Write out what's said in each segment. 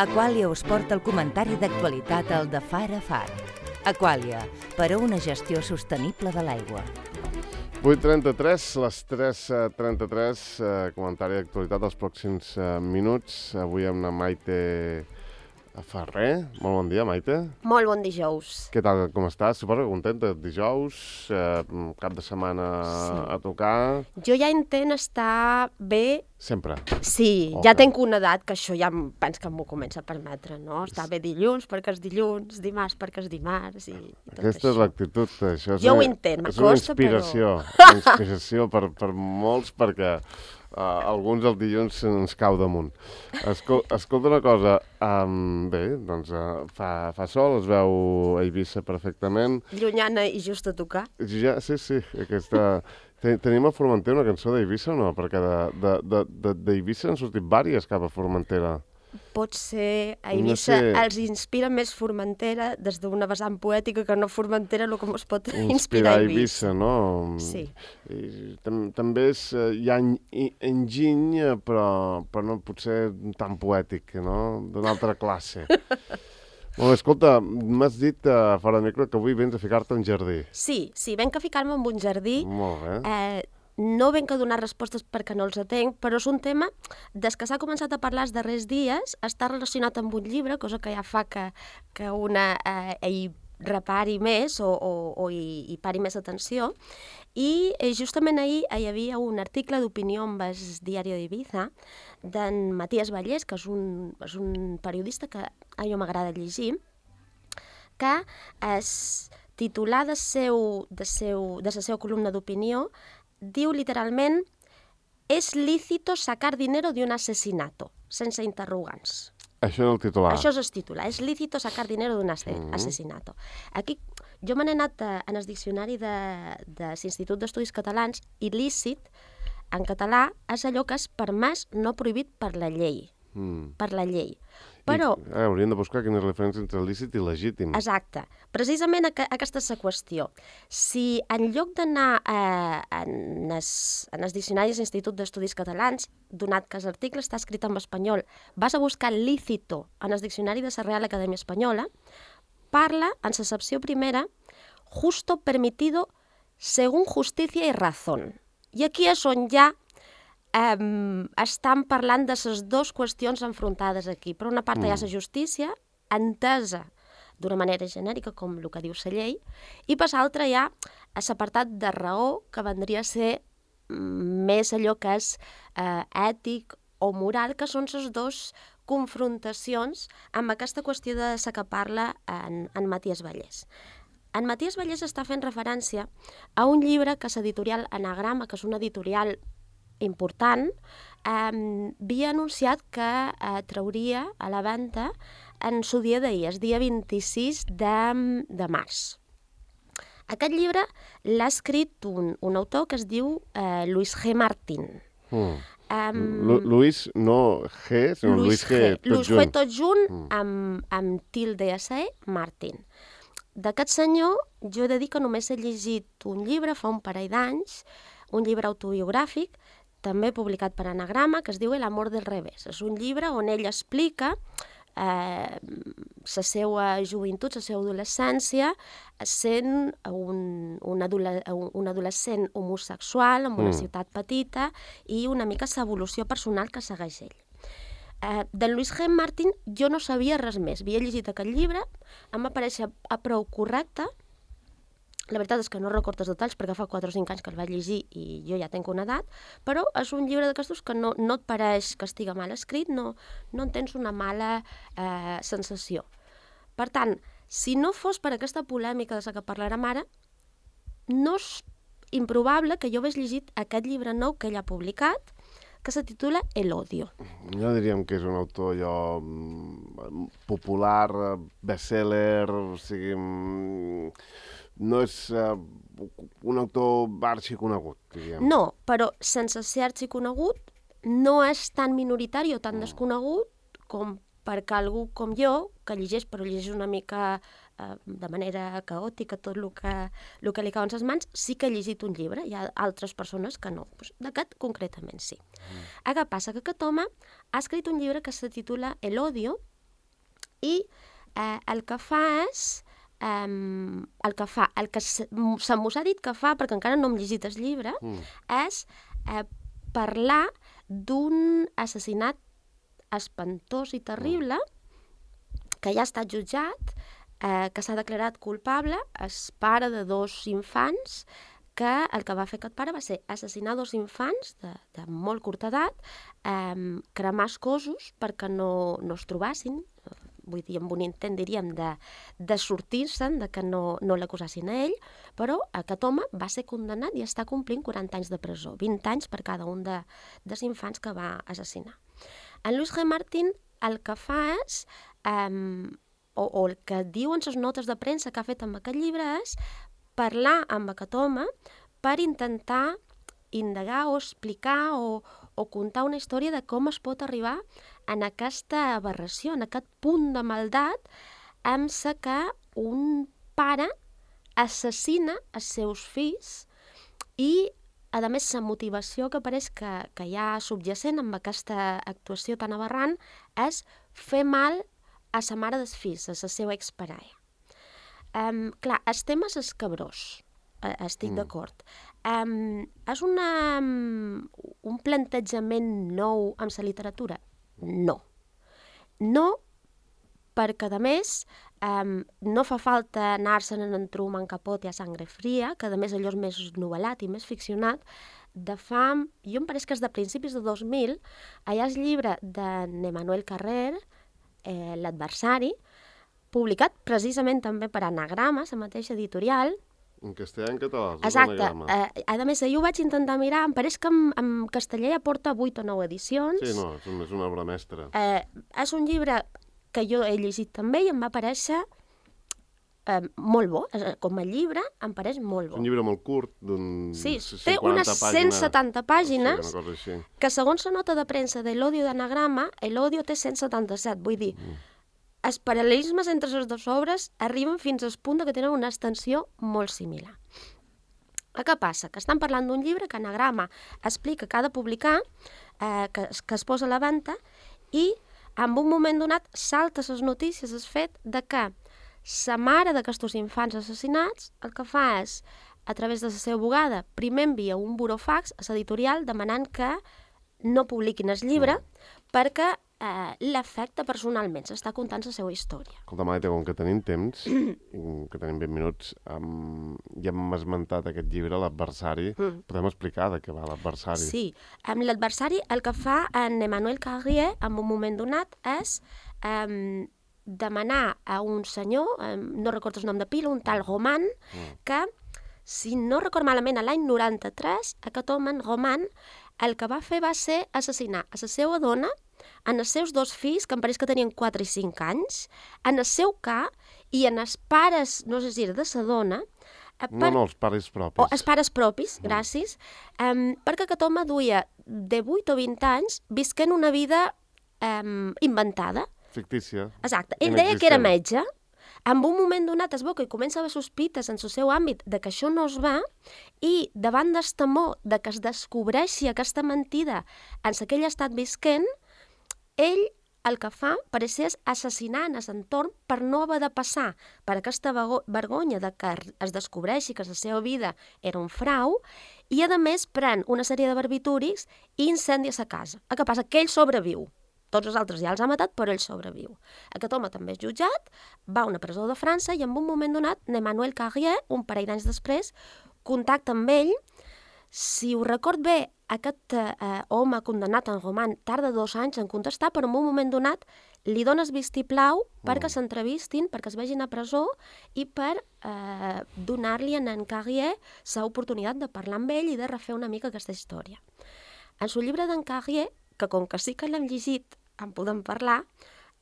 Aqualia us porta el comentari d'actualitat al de Far a Far. Aqualia, per a una gestió sostenible de l'aigua. 8:33, les 3:33, comentari d'actualitat dels pròxims minuts. Avui amb la Maite Ferrer. Molt bon dia, Maite. Molt bon dijous. Què tal, com estàs? Suposo que contenta. Dijous, cap de setmana a tocar. Jo ja intent estar bé. Sempre? Sí, Okay. Ja tenc una edat que això ja penso que m'ho comença a permetre, no? Estar bé dilluns perquè és dilluns, dimarts perquè és dimarts i tot Aquesta això. és l'actitud. Això és Jo ho intent, és una m'acosta, inspiració. Una inspiració per molts, perquè alguns el dilluns ens cau damunt. Escolta una cosa, bé, doncs fa sol, es veu a Eivissa perfectament. Llunyana i just a tocar. Ja, sí, aquesta... Tenim a Formentera una cançó d'Eivissa o no? Perquè d'Eivissa han sortit vàries cap a Formentera. Pot ser a Eivissa els inspira més Formentera des d'una vessant poètica que no Formentera el que ens pot inspirar a Eivissa, no? Sí. També hi ha enginy, però no pot ser tan poètic, no? D'una altra classe. Molt bé, escolta, m'has dit fora de micro que avui vens a ficar-te en jardí. Sí, venc a ficar-me en un jardí. Molt bé. No venc a donar respostes perquè no els atenc, però és un tema, des que s'ha començat a parlar els darrers dies, està relacionat amb un llibre, cosa que ja fa que una hi repari més o hi pari més atenció. I justament ahir hi havia un article d'opinió amb el diari d'Eivissa d'en Matías Vallès, que és un periodista que a mi m'agrada llegir, que es titular de la seva columna d'opinió diu literalment «Es lícito sacar dinero de un asesinato», sense interrogants. Això és el titular. Això és el titular, «Es lícito sacar dinero de un asesinato». Aquí jo me n'he anat en el diccionari de l'Institut d'Estudis Catalans i lícit, en català, és allò que és permès, no prohibit per la llei. Per la llei. Però... hauríem de buscar quina és la diferència entre lícit i legítim. Exacte. Precisament aquesta és la qüestió. Si en lloc d'anar en els diccionaris de l'Institut d'Estudis Catalans, donat que l'article està escrit en espanyol, vas a buscar lícito en el diccionari de la Real Acadèmia Espanyola, parla, en l'accepció primera, justo permitido según justicia y razón. I aquí és on ja estan parlant de les dues qüestions enfrontades aquí. Per una part hi ha la justícia, entesa d'una manera genèrica, com el que diu la llei, i per l'altra hi ha l'apartat de raó, que vendria a ser més allò que és ètic o moral, que són les dues confrontacions amb aquesta qüestió de la que parla en Matías Vallès. En Matías Vallès està fent referència a un llibre que l'editorial Anagrama, que és una editorial important, havia anunciat que trauria a la venda en el dia d'ahir, el dia 26 de març. Aquest llibre l'ha escrit un autor que es diu Luis G. Martín. Luis, no G, sinó Luis G. Luis G. tot junt amb tilde S.E. Martín. D'aquest senyor, jo he de dir que només he llegit un llibre fa un parell d'anys, un llibre autobiogràfic, també publicat per Anagrama, que es diu El amor del revés. És un llibre on ell explica la seva joventut, la seva adolescència, sent un adolescent homosexual en una ciutat petita i una mica l'evolució personal que segueix ell. D'en Luis G. Martín jo no sabia res més. Havia llegit aquest llibre, em va parèixer prou correcte. La veritat és que no recordo els detalls perquè fa 4 o 5 anys que el vaig llegir i jo ja tenc una edat, però és un llibre d'aquestos que no et pareix que estigui mal escrit, no en tens una mala sensació. Per tant, si no fos per aquesta polèmica de la que parlarem ara, no és improbable que jo hagués llegit aquest llibre nou que ell ha publicat, que se titula El odio. No diríem que és un autor popular, bestseller, o sigui... No és un autor arxiconegut, diríem. No, però sense ser arxiconegut no és tan minoritari o tan desconegut com perquè algú com jo, que llegeix, però llegeix una mica de manera caòtica tot el que li cau en les mans, sí que ha llegit un llibre. Hi ha altres persones que no. D'aquest concretament sí. Què passa? Que aquest home ha escrit un llibre que se titula El odio I el que fa és... el que se m'ho ha dit que fa, perquè encara no hem llegit el llibre, és parlar d'un assassinat espantós i terrible que ja ha estat jutjat, que s'ha declarat culpable, el pare de 2 infants, que el que va fer aquest pare va ser assassinar 2 infants de molt curta edat, cremar els cossos perquè no es trobassin, vull dir, amb un intent, diríem, de sortir-se'n, de que no l'acusassin a ell, però aquest home va ser condemnat i està complint 40 anys de presó, 20 anys per cada un dels infants que va assassinar. En Louis G. Martin el que fa és, o el que diuen les notes de premsa que ha fet amb aquest llibre és parlar amb aquest home per intentar indagar o explicar o contar una història de com es pot arribar en aquesta aberració, en aquest punt de maldat amb la que un pare assassina els seus fills i, a més, la motivació que pareix que hi ha subjacent amb aquesta actuació tan aberrant és fer mal a sa mare dels fills, a la seva exparella. Clar, el tema és escabrós, estic d'acord. És un plantejament nou amb la literatura? No. No, perquè, a més, no fa falta anar-se'n en Truman Capote a Sangre Fria, que, a més, allò és més novel·lat i més ficcionat. De fa, jo em pareix que és de principis de 2000, allà és llibre d'Emmanuel Carrer, L'adversari, publicat precisament també per Anagrama, la mateixa editorial. En castellà i en català. Exacte. A més, jo ho vaig intentar mirar, em pareix que en castellà ja porta 8 o 9 edicions. Sí, no, és una obra mestra. És un llibre que jo he llegit també i em va parèixer molt bo. Com a llibre em pareix molt bo. És un llibre molt curt, d'un 50 té unes 170 pàgines, que segons la nota de premsa de l'Odio d'Anagrama, l'Odio té 177, vull dir, els paral·lelismes entre les dues obres arriben fins al punt que tenen una extensió molt similar. Què passa? Que estan parlant d'un llibre que Anagrama explica que ha de publicar, que es posa a la venda, i en un moment donat salta les notícies el fet de que la mare d'aquests infants assassinats el que fa és, a través de la seva abogada, primer envia un burofax a l'editorial demanant que no publiquin el llibre perquè l'afecta personalment, s'està contant la seva història. Escolta, Maite, com que tenim temps, que tenim 20 minuts, ja hem esmentat aquest llibre, L'adversari. Podem explicar de què va L'adversari? Sí, amb L'adversari el que fa en Emmanuel Carrier, en un moment donat, és demanar a un senyor, no recordo el nom de pila, un tal Roman, que, si no record malament, a l'any 93, aquest home, en Roman, el que va fer va ser assassinar a la seva dona, en els seus 2 fills, que em pareix que tenien 4 i 5 anys, en el seu ca i en els pares, no sé si era de la dona... No, els pares propis. Els pares propis, gràcies, perquè aquest home duia de 8 o 20 anys visquent una vida inventada. Fictícia. Exacte. Ell deia que era metge. En un moment donat es veu que comença a haver sospites en el seu àmbit de que això no es va i davant del temor de que es descobreixi aquesta mentida en aquell estat visquent, ell el que fa pareix ser assassinar en l'entorn per no haver de passar per aquesta vergonya de que es descobreixi que la seva vida era un frau i, a més, pren una sèrie de barbitúrics i incendia la casa. El que passa que ell sobreviu. Tots els altres ja els ha matat, però ell sobreviu. Aquest home també és jutjat, va a una presó de França i en un moment donat, Emmanuel Carrier, un parell d'anys després, contacta amb ell. Si ho record bé, aquest home condemnat en Roman tarda 2 anys en contestar, però en un moment donat li dona el vistiplau perquè s'entrevistin, perquè es vegin a presó i per donar-li a en Carrier l'oportunitat de parlar amb ell i de refer una mica aquesta història. En el llibre d'en Carrier, que com que sí que l'hem llegit, en podem parlar,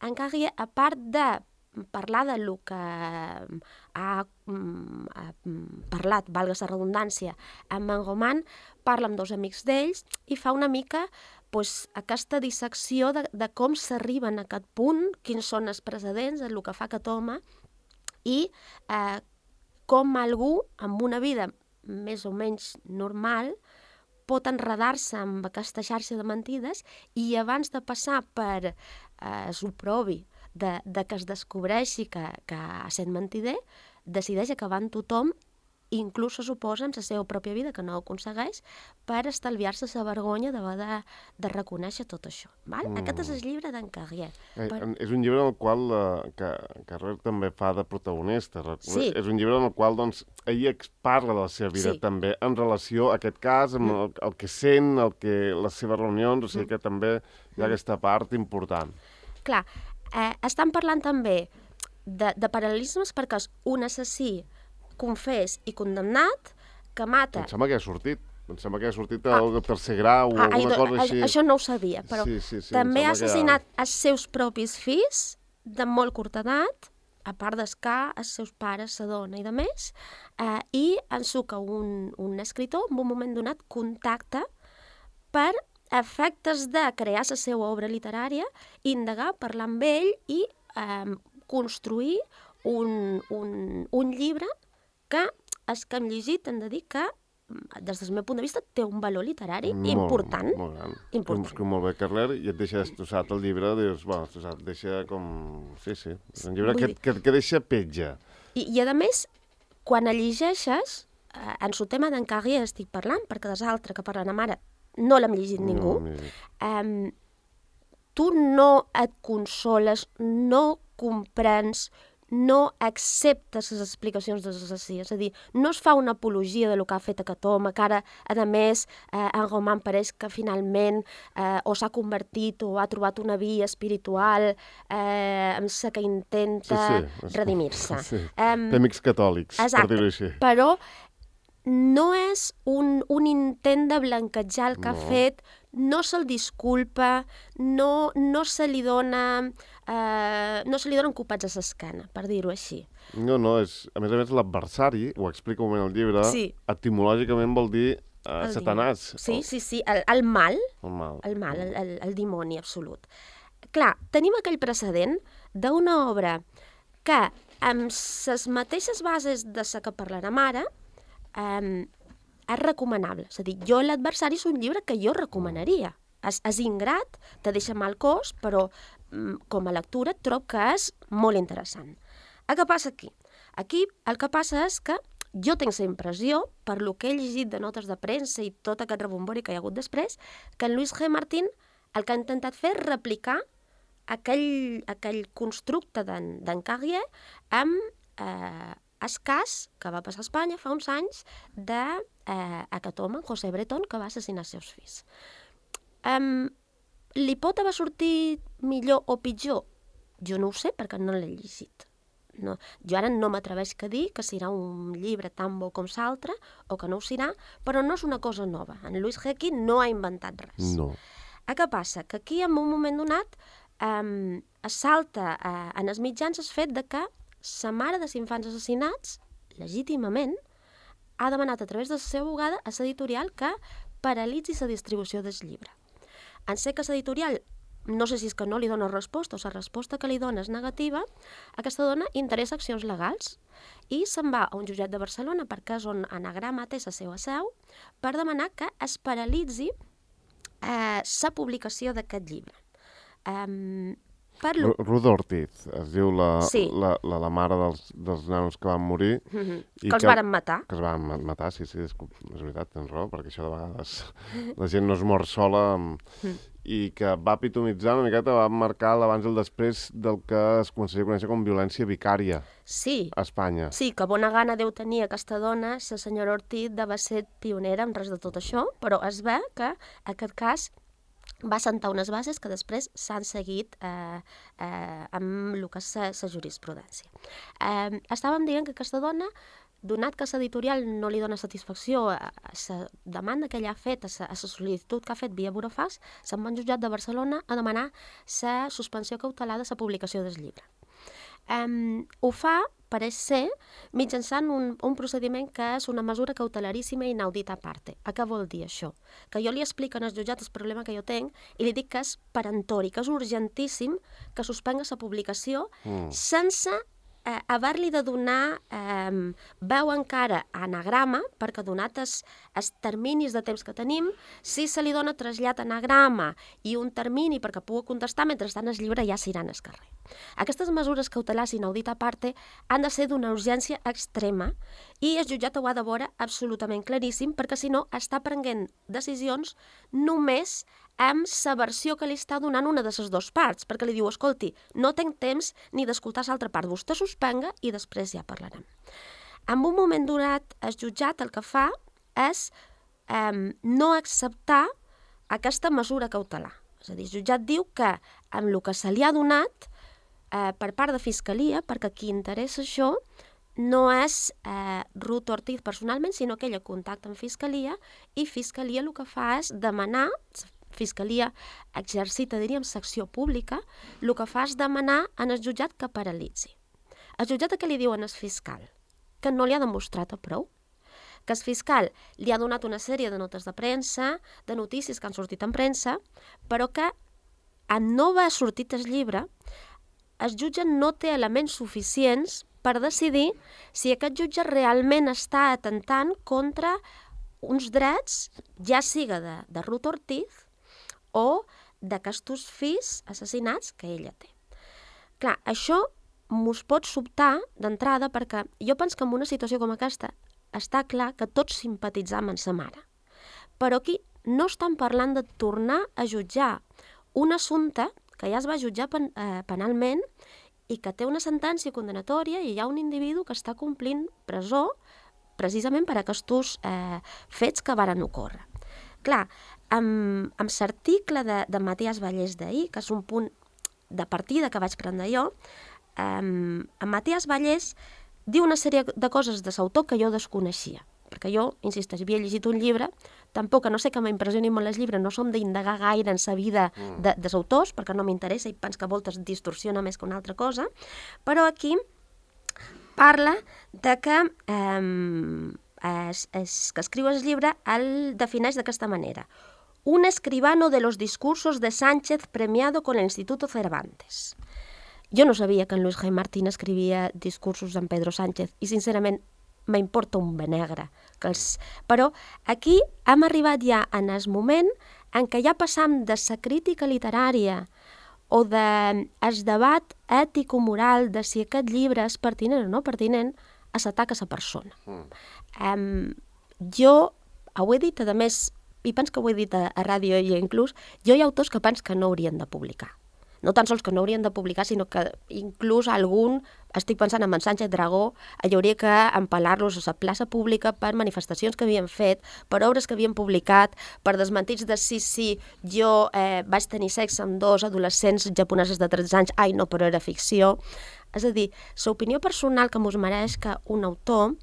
en Carrier, a part de parlar de lo que ha parlat, valga la redundància, amb en Roman, parla amb 2 amics d'ells i fa una mica aquesta dissecció de com s'arriben a aquest punt, quins són els precedents, el que fa aquest home i com algú amb una vida més o menys normal pot enredar-se amb aquesta xarxa de mentides i abans de passar per l'oprobi de que es descobreixi que sent mentider, decideix acabar amb tothom, inclús se suposa amb la seva pròpia vida, que no ho aconsegueix, per estalviar-se la vergonya d'haver de reconèixer tot això. Val? Aquest és el llibre d'en Carrier. És un llibre en el qual Carrer també fa de protagonista. Sí. És un llibre en el qual doncs, ell parla de la seva vida també, en relació a aquest cas, amb el que sent, les seves reunions, o sigui que també hi ha aquesta part important. Clar, estan parlant també de paral·lelismes perquè és un assassí confés i condemnat que mata... Em sembla que ha sortit el tercer grau o alguna cosa així. Això no ho sabia, però també ha assassinat els seus propis fills de molt curta edat, a part d'escar, els seus pares, la dona i de més, i ensuca un escriptor en un moment donat contacta per efectes de crear la seva obra literària, indagar, parlar amb ell i construir un llibre que els que hem llegit hem de dir que, des del meu punt de vista, té un valor literari important. Molt gran. Escriu molt bé Carrer i et deixa destrossat el llibre, dius, bueno, et deixa com... Sí, és un llibre que deixa petja. I a més, quan el llegeixes, en el tema d'en Carrier estic parlant, perquè dels altres que parlen amb ara no l'hem llegit ningú, tu no et consoles, no comprens, no acceptes les explicacions de l'assassí. És a dir, no es fa una apologia del que ha fet aquest home, que ara, a més, en Roman pareix que finalment o s'ha convertit o ha trobat una via espiritual amb la que intenta redimir-se. Té amics catòlics, per dir-ho així. Però no és un intent de blanquejar el que ha fet, no se'l disculpa, no se li donen copets a l'esquena, per dir-ho així. No, és... A més, l'adversari, ho explica un moment al llibre, etimològicament vol dir Satanàs. Sí, el mal. El dimoni absolut. Clar, tenim aquell precedent d'una obra que, amb les mateixes bases de la que parlarem ara, és recomanable. És a dir, jo l'adversari és un llibre que jo recomanaria. És ingrat, te deixa mal cos, però com a lectura trobo que és molt interessant. Què passa aquí? Aquí el que passa és que jo tinc la impressió, per lo que he llegit de notes de premsa i tot aquest rebombori que hi ha hagut després, que en Louis G. Martin el que ha intentat fer és replicar aquell constructe d'en Carrier amb el cas que va passar a Espanya fa uns anys d'aquest home, José Bretón, que va assassinar els seus fills. Li pot haver sortit millor o pitjor? Jo no ho sé, perquè no l'he llegit. No. Jo ara no m'atreveix a dir que serà un llibre tan bo com l'altre o que no ho serà, però no és una cosa nova. En Louis G. no ha inventat res. No. Què passa? Que aquí, en un moment donat, salta en els mitjans el fet de que la mare dels infants assassinats, legítimament, ha demanat a través de la seva abogada a l'editorial que paralitzi la distribució del llibre. En sé que l'editorial, no sé si és que no li dona resposta o la resposta que li dona és negativa, aquesta dona interessa accions legals i se'n va a un jutjat de Barcelona, perquè és on Anagrama té la seva seu, per demanar que es paralitzi la publicació d'aquest llibre. Ruth Ortiz, es diu la mare dels nanos que van morir. Que els varen matar. Que els varen matar, sí, és veritat, tens raó, perquè això de vegades la gent no es mor sola i que va epitomitzar una miqueta, va marcar l'abans i el després del que es començaria a conèixer com violència vicària a Espanya. Sí, que bona gana deu tenir aquesta dona, la senyora Ortiz, de va ser pionera en res de tot això, però es ve que aquest cas va sentar unes bases que després s'han seguit amb el que és la jurisprudència. Estàvem dient que aquesta dona, donat que l'editorial no li dona satisfacció a la demanda que ella ha fet, a la sol·licitud que ha fet via burofax, se'n va al jutjat de Barcelona a demanar la suspensió cautelar de la publicació del llibre. Ho fa, pareix ser, mitjançant un procediment que és una mesura cautelaríssima i inaudita a parte. Què vol dir això? Que jo li explico al jutjat el problema que jo tinc i li dic que és perentori, que és urgentíssim que suspenga la publicació sense haver-li de donar veu encara a anagrama, perquè donat els terminis de temps que tenim, si se li dona trasllat a anagrama i un termini perquè pugui contestar, mentrestant el llibre ja s'irà al carrer. Aquestes mesures cautelars inaudita a parte han de ser d'una urgència extrema i el jutjat ho ha de veure absolutament claríssim, perquè si no està prenent decisions només amb la versió que li està donant una de les dues parts, perquè li diu, escolti, no tinc temps ni d'escoltar l'altra part, vostè suspenga i després ja parlarem. En un moment donat, el jutjat el que fa és no acceptar aquesta mesura cautelar. És a dir, el jutjat diu que amb el que se li ha donat per part de Fiscalia, perquè qui interessa això no és Ruth Ortiz personalment, sinó que ella contacta amb Fiscalia i Fiscalia el que fa és demanar, Fiscalia exercita, diríem, secció pública, el que fa és demanar en el jutjat que paralitzi. El jutjat què li diuen al fiscal? Que no li ha demostrat a prou. Que el fiscal li ha donat una sèrie de notes de premsa, de notícies que han sortit en premsa, però que en no haver sortit el llibre, el jutge no té elements suficients per decidir si aquest jutge realment està atentant contra uns drets, ja siga de Ruth Ortiz o d'aquestos fills assassinats que ella té. Clar, això mos pot sobtar d'entrada perquè jo penso que en una situació com aquesta està clar que tots simpatitzam amb sa mare. Però aquí no estan parlant de tornar a jutjar un assumpte que ja es va jutjar penalment i que té una sentència condenatòria i hi ha un individu que està complint presó precisament per aquests fets que varen ocórrer. Clar, amb l'article de Matías Vallès d'ahir, que és un punt de partida que vaig prendre jo, en Matías Vallès diu una sèrie de coses de l'autor que jo desconeixia, perquè jo, insisteix, havia llegit un llibre, tampoc que no sé que m'impressioni molt els llibres, no som d'indagar gaire en la vida dels autors, perquè no m'interessa i penso que voltes distorsiona més que una altra cosa, però aquí parla de que que escriu el llibre el defineix d'aquesta manera. Un escribano de los discursos de Sánchez premiado con el Instituto Cervantes. Jo no sabia que en Luis G. Martín escrivia discursos d'en Pedro Sánchez i sincerament m'importa un benegre. Però aquí hem arribat ja en el moment en què ja passam de la crítica literària o del debat ètico-moral de si aquest llibre és pertinent o no pertinent a l'atac a la persona. Jo ho he dit, a més, i penso que ho he dit a ràdio i inclús, jo hi ha autors que penso que no haurien de publicar. No tan sols que no haurien de publicar, sinó que inclús algun, estic pensant en Sánchez Dragó, hi hauria que empalar-los a la plaça pública per manifestacions que havien fet, per obres que havien publicat, per desmentits de sí, jo vaig tenir sexe amb 2 adolescents japoneses de 13 anys, ai no, però era ficció. És a dir, l'opinió personal que mos mereix que un autor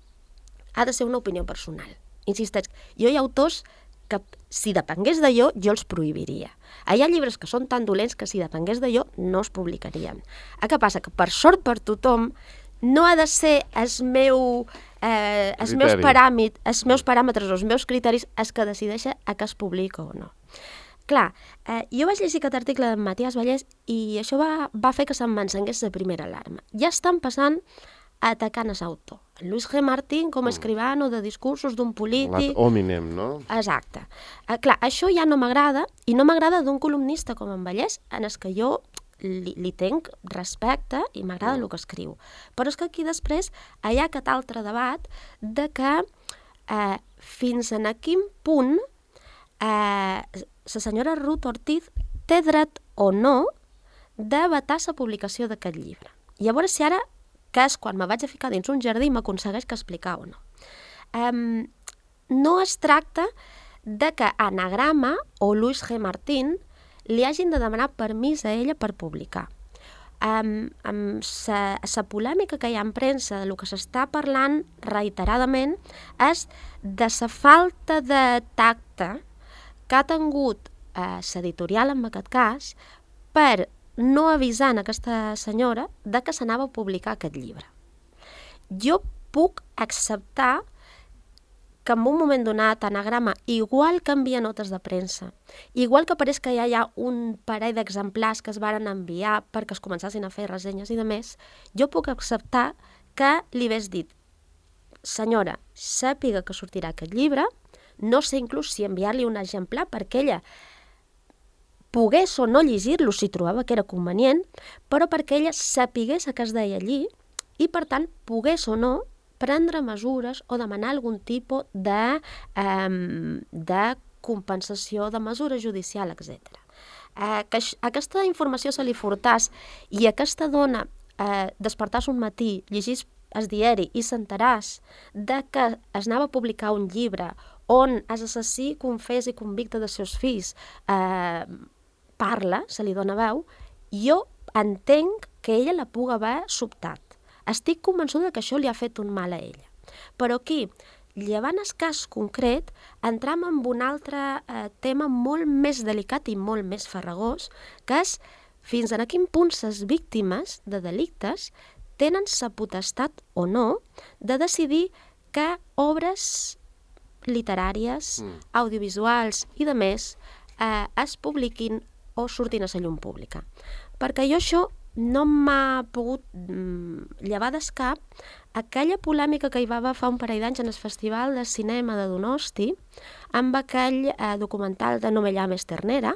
ha de ser una opinió personal. Insisteix, jo hi ha autors que si depengués de jo els prohibiria. Hi ha llibres que són tan dolents que si depengués de jo no es publicarien. Què passa? Que per sort per tothom no ha de ser els meus paràmetres o els meus criteris els que decideixen a què es publica o no. Clar, jo vaig llegir aquest article de Matías Vallès i això va fer que se'm encengués la primera alarma. Ja estan passant atacant a l'autor. Luis G. Martín com a escribano de discursos d'un polític... Ad hominem, no? Exacte. Clar, això ja no m'agrada, i no m'agrada d'un columnista com en Vallès, en el que jo li tenc respecte i m'agrada el que escriu. Però és que aquí després hi ha aquest altre debat de que fins a quin punt la senyora Ruth Ortiz té dret o no de vetar la publicació d'aquest llibre. I a veure si ara, que és quan me vaig a ficar dins un jardí, m'aconsegueix que explicar o no. No es tracta de que Anagrama o Luis G. Martín li hagin de demanar permís a ella per publicar. Amb la polèmica que hi ha en premsa de lo que s'està parlant reiteradament és de la falta de tacte que ha tingut l'editorial en aquest cas per no avisant aquesta senyora de que s'anava a publicar aquest llibre. Jo puc acceptar que en un moment donat Anagrama igual que envia notes de premsa, igual que pareix que ja hi ha un parell d'exemplars que es varen enviar perquè es començassin a fer ressenyes i de més, jo puc acceptar que li hagués dit: senyora, sàpiga que sortirà aquest llibre, no sé inclús si enviar-li un exemplar perquè ella pogués o no llegir-lo si trobava que era convenient, però perquè ella sapigués que es deia allí i, per tant, pogués o no prendre mesures o demanar algun tipus de compensació, de mesura judicial, etc. Que aquesta informació se li furtàs i aquesta dona despertàs un matí, llegís el diari i s'enteràs de que es anava a publicar un llibre on l'assassí confés i convicte dels seus fills parla, se li dona veu, jo entenc que ella la pugui haver sobtat. Estic convençuda que això li ha fet un mal a ella. Però aquí, llevant el cas concret, entram en un altre tema molt més delicat i molt més farragós, que és fins a quin punt les víctimes de delictes tenen la potestat o no de decidir que obres literàries, audiovisuals i de més es publiquin o surtin a la llum pública. Perquè jo això no m'ha pogut llevar del cap aquella polèmica que hi va haver fa un parell d'anys en el Festival de Cinema de Donosti amb aquell documental de No me llames ternera,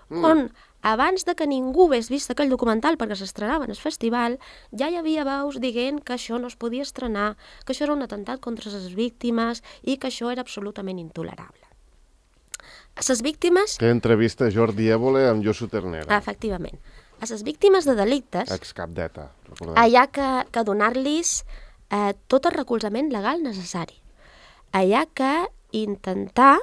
on abans de que ningú hagués vist aquell documental perquè s'estrenava en el festival, ja hi havia veus dient que això no es podia estrenar, que això era un atemptat contra les víctimes i que això era absolutament intolerable. Les víctimes... Que entrevista Jordi Évole amb Josu Ternera. Efectivament. A les víctimes de delictes, Excap d'ETA, recordem. hi ha que donar-los tot el recolzament legal necessari. Hi ha que intentar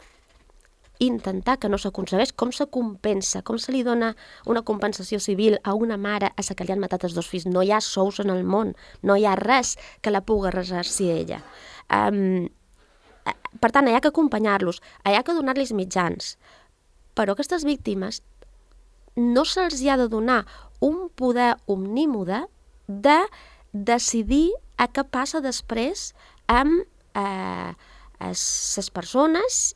que no s'aconsegueix, com se compensa, com se li dona una compensació civil a una mare a la que li han matat els dos fills. No hi ha sous en el món, no hi ha res que la pugui ressarcir ella. Per tant, hi ha que acompanyar-los, hi ha que donar-los mitjans, però aquestes víctimes no se'ls ha de donar un poder omnímode de decidir a què passa després amb les persones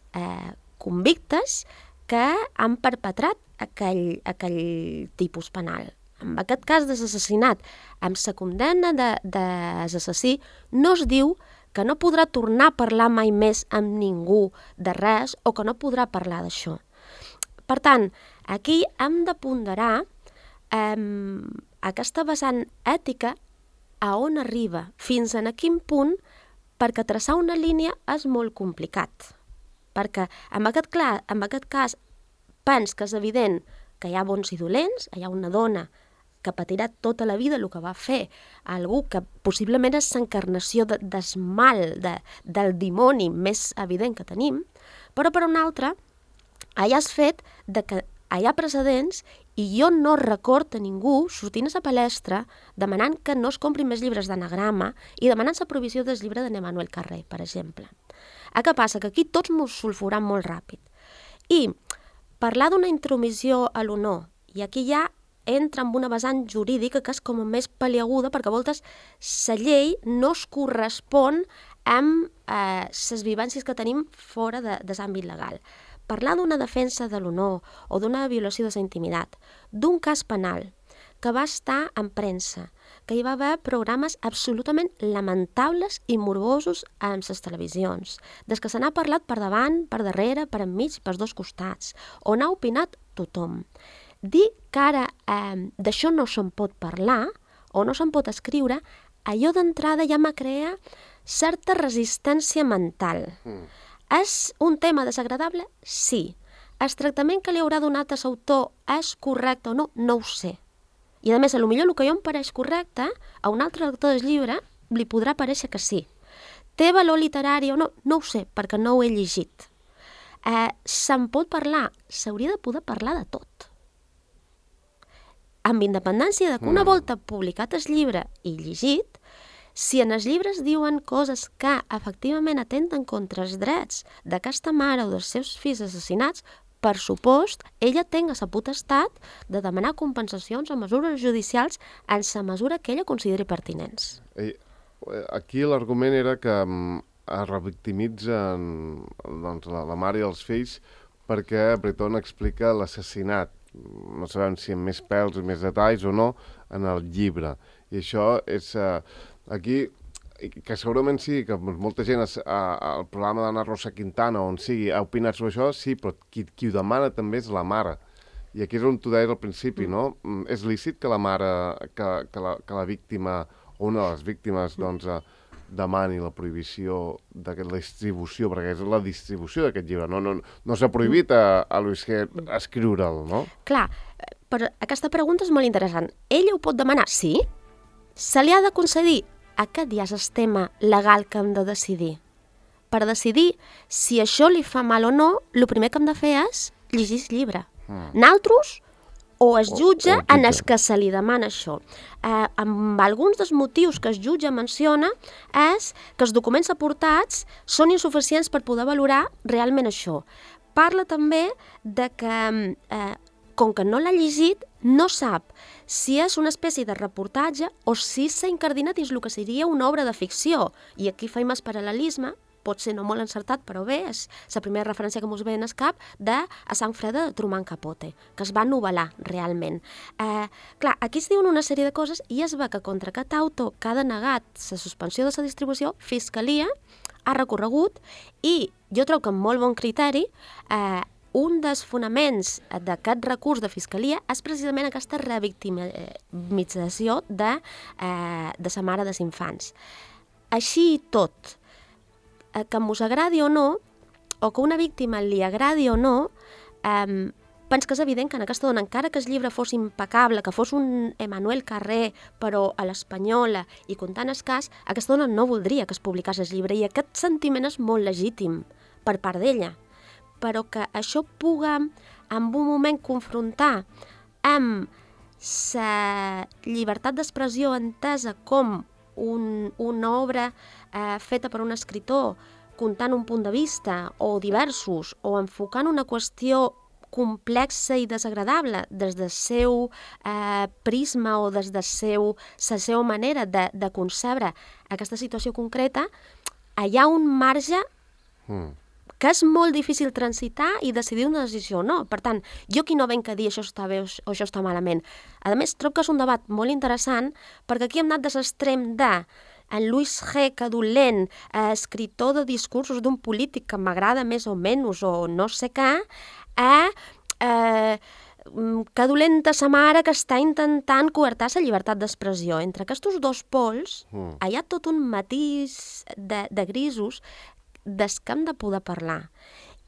convictes que han perpetrat aquell tipus penal. En aquest cas d'assassinat, amb la condemna de l'assassí, no es diu que no podrà tornar a parlar mai més amb ningú de res o que no podrà parlar d'això. Per tant, aquí hem de ponderar aquesta vessant ètica a on arriba, fins a quin punt, perquè traçar una línia és molt complicat. Perquè en aquest cas pens que és evident que hi ha bons i dolents, hi ha una dona que patirà tota la vida el que va fer algú que possiblement és l'encarnació del mal, del dimoni més evident que tenim, però per una altra hi ha el fet que hi ha precedents i jo no recordo a ningú sortint a la palestra demanant que no es comprin més llibres d'anagrama i demanant la prohibició del llibre de Emmanuel Carré, per exemple. Què passa? Que aquí tots mos sulfuram molt ràpid. I parlar d'una intromissió a l'honor, i aquí ja entra en una vessant jurídica que és com més paliaguda, perquè a voltes la llei no es correspon amb les vivències que tenim fora de l'àmbit legal. Parlar d'una defensa de l'honor o d'una violació de la intimitat, d'un cas penal que va estar en premsa, que hi va haver programes absolutament lamentables i morbosos en les televisions, des que se n'ha parlat per davant, per darrere, per enmig, per dos costats, on ha opinat tothom. Dir que ara d'això no se'n pot parlar o no se'n pot escriure, allò d'entrada ja me crea certa resistència mental. És un tema desagradable? Sí. El tractament que li haurà donat a l'autor és correcte o no? No ho sé. I a més, potser el que jo em pareix correcte, a un altre lector del llibre li podrà parèixer que sí. Té valor literari o no? No ho sé, perquè no ho he llegit. Se'n pot parlar? S'hauria de poder parlar de tot. Amb independència que una volta publicat el llibre i llegit, si en els llibres diuen coses que efectivament atenten contra els drets d'aquesta mare o dels seus fills assassinats, per supost, ella tenga la potestat de demanar compensacions o mesures judicials en la mesura que ella consideri pertinents. Aquí l'argument era que es revictimitzen doncs, la mare i els fills perquè Breton explica l'assassinat. No sabem si amb més pèls o més detalls o no en el llibre. I això és... aquí, que segurament sí, que molta gent al programa d'Anna Rosa Quintana, on sigui, ha opinat sobre això, sí, però qui ho demana també és la mare. I aquí és on tu deies al principi, no? És lícit que la mare, que la víctima, o una de les víctimes, doncs, demani la prohibició de la distribució, perquè és la distribució d'aquest llibre. No s'ha prohibit a Luis G escriure'l, no? Clar, però aquesta pregunta és molt interessant. Ella ho pot demanar? Sí. Se li ha de concedir? Aquest ja és el tema legal que hem de decidir. Per decidir si això li fa mal o no, el primer que hem de fer és llegir el llibre. Naltros o es jutja en els que se li demana això. Amb alguns dels motius que es jutja menciona és que els documents aportats són insuficients per poder valorar realment això. Parla també de que, com que no l'ha llegit, no sap si és una espècie de reportatge o si s'ha incardinat dins el que seria una obra de ficció. I aquí faim el paral·lelisme, pot ser no molt encertat, però bé, és la primera referència que ens ve en el cap de A sang freda de Truman Capote, que es va novel·lar realment. Clar, aquí es diuen una sèrie de coses i es va que contra aquest autor que ha denegat la suspensió de la distribució, Fiscalia ha recorregut i jo trobo que amb molt bon criteri un dels fonaments d'aquest recurs de Fiscalia és precisament aquesta revictimització de la mare dels infants. Així i tot, que mos agradi o no, o que una víctima li agradi o no, penso que és evident que en aquesta dona, encara que el llibre fos impecable, que fos un Emmanuel Carré, però a l'espanyola i contant el cas, aquesta dona no voldria que es publicés el llibre i aquest sentiment és molt legítim per part d'ella. Però que això puga en un moment confrontar amb la llibertat d'expressió entesa com una obra feta per un escritor contant un punt de vista o diversos o enfocant una qüestió complexa i desagradable des del seu prisma o des de la seva manera de concebre aquesta situació concreta, hi ha un marge que és molt difícil transitar i decidir una decisió o no. Per tant, jo aquí no venc a dir això està bé o això està malament. A més, trobo que és un debat molt interessant perquè aquí hem anat de l'extrem de en Luis G. que dolent, escriptor de discursos d'un polític que m'agrada més o menys o no sé què, que dolenta sa mare que està intentant coartar la llibertat d'expressió. Entre aquests dos pols hi ha tot un matís de grisos des que hem de poder parlar.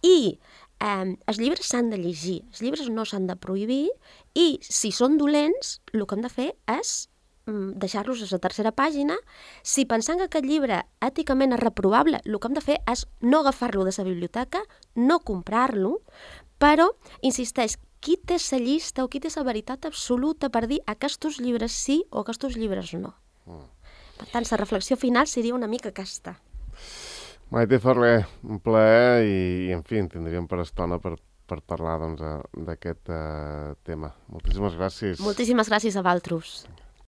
I els llibres s'han de llegir, els llibres no s'han de prohibir i si són dolents, el que hem de fer és deixar-los a la tercera pàgina. Si pensant que aquest llibre èticament és reprovable, el que hem de fer és no agafar-lo de la biblioteca, no comprar-lo, però, insisteix, qui té la llista o qui té la veritat absoluta per dir aquests llibres sí o aquests llibres no. Per tant, la reflexió final seria una mica aquesta. Maite Ferrer, un plaer i en fi, en tindríem per estona per parlar d'aquest tema. Moltíssimes gràcies. Moltíssimes gràcies a vosaltres.